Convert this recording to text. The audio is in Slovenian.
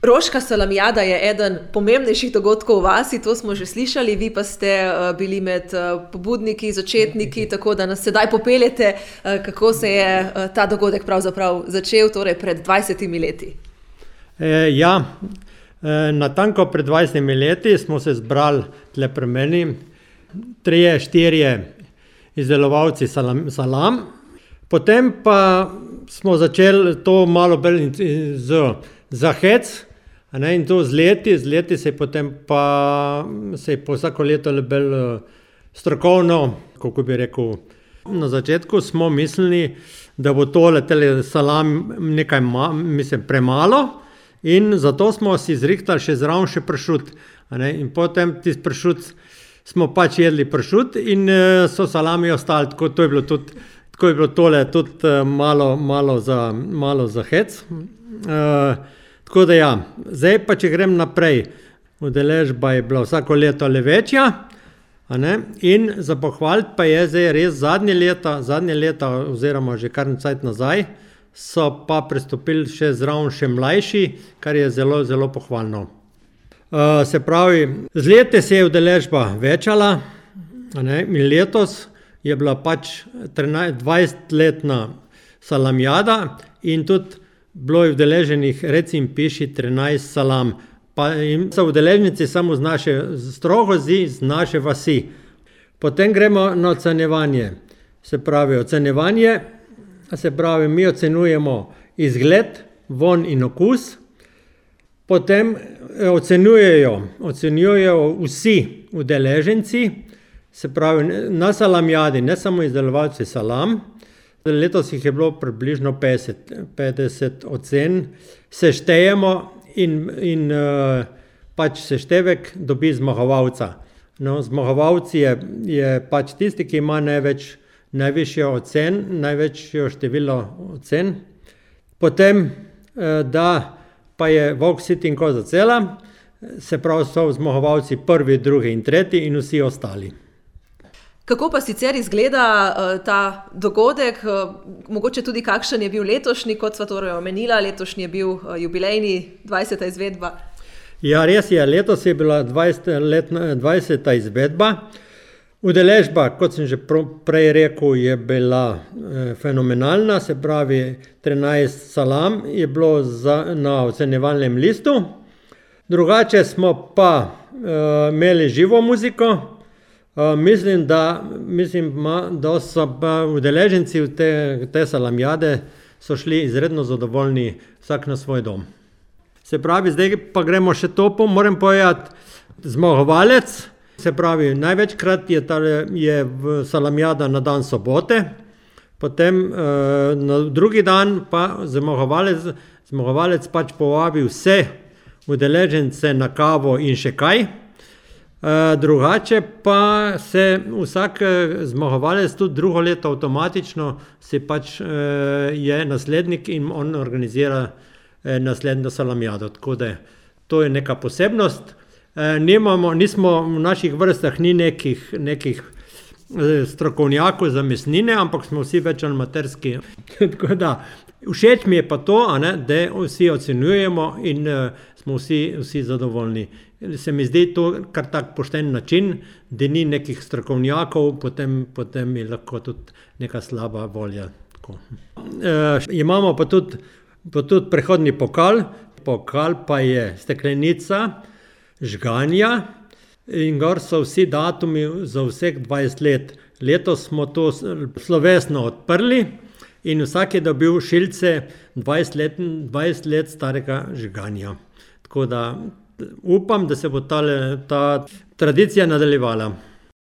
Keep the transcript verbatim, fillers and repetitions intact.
Roška salamijada je eden pomembnejših dogodkov v vasi, to smo že slišali, vi pa ste uh, bili med uh, pobudniki, začetniki, tako da nas sedaj popeljete, uh, kako se je uh, ta dogodek pravzaprav začel, torej pred dvajsetimi leti. E, ja, e, natanko pred dvajsetimi leti smo se zbrali tle pri meni, trije, štirje izdelovalci salam, salam. Potem pa smo začeli to malo bolj z za hec, a ne, in to z leti, z leti se je potem pa se je po vsako leto bolj strokovno, kako bi rekel. Na začetku smo mislili, da bo tole tele salam nekaj ma, mislim, premalo in zato smo si zrihtali še zraven še pršut, a ne, in potem tisti pršut smo pač jedli pršut in so salami ostali, tako to je bilo tudi, tako je bilo tole tudi malo, malo za, malo za hec. Uh, tako da ja, zdaj pa če grem naprej, udeležba je bila vsako leto le večja, a ne, in za pohvaliti pa je zdaj res zadnje leta, zadnje leta oziroma že kar cajt nazaj, so pa pristopili še zraven še mlajši, kar je zelo, zelo pohvalno. Uh, se pravi, z leti se je udeležba večala, a ne, in letos je bila pač dvajsetletna salamijada in tudi bilo je udeleženih, recim piši, trinajst salam. Pa in so udeležnici samo z naše Strohozi, z naše vasi. Potem gremo na ocenjevanje. Se pravi, ocenjevanje, se pravi, mi ocenjujemo izgled, von in okus. Potem ocenjujejo, ocenjujejo vsi udeleženci, se pravi, na salamijadi, ne samo izdelovalci salam. Letos jih je bilo približno petdeset, petdeset ocen, seštejemo in, in uh, pač seštevek dobi zmagovalca. No, zmagovalci je, je pač tisti, ki ima največ, najvišjo ocen, največjo število ocen. Potem, uh, da pa je volk sit in koza cela, se pravi so zmagovalci prvi, drugi in tretji in vsi ostali. Kako pa sicer izgleda uh, ta dogodek, uh, mogoče tudi kakšen je bil letošnji, kot sva torej omenila, letošnji je bil uh, jubilejni dvajseta izvedba? Ja, res je, letos je bila dvajseta izvedba. Udeležba, kot sem že prej rekel, je bila eh, fenomenalna, se pravi trinajst salam je bilo za, na ocenjevalnem listu. Drugače smo pa eh, imeli živo muziko. Uh, mislim, da, mislim, da so pa udeleženci te, te salamijade so šli izredno zadovoljni vsak na svoj dom. Se pravi, zdaj pa gremo še to, moram povedati, zmagovalec, se pravi, največkrat je, tale, je v salamijada na dan sobote, potem uh, na drugi dan pa zmagovalec, zmagovalec pač povabi vse udeležence na kavo in še kaj. Uh, drugače pa se vsak zmagovalec tudi drugo leto avtomatično si pač uh, je naslednik in on organizira uh, naslednjo salamijado. Tako da to je neka posebnost. Uh, nimamo, nismo v naših vrstah ni nekih, nekih uh, strokovnjakov za mesnine, ampak smo vsi več amaterski. Tako da všeč mi je pa to, a ne, da vsi ocenjujemo in uh, smo vsi, vsi zadovoljni. Se mi zdi to kar tak pošten način, da ni nekih strokovnjakov, potem, potem je lahko tudi neka slaba volja. E, imamo pa tudi, pa tudi prehodni pokal. Pokal pa je steklenica žganja in gor so vsi datumi za vseh dvajset let. Letos smo to slovesno odprli in vsak je dobil šilce dvajset let, dvajset let starega žganja. Tako da upam, da se bo tale, ta tradicija nadaljevala.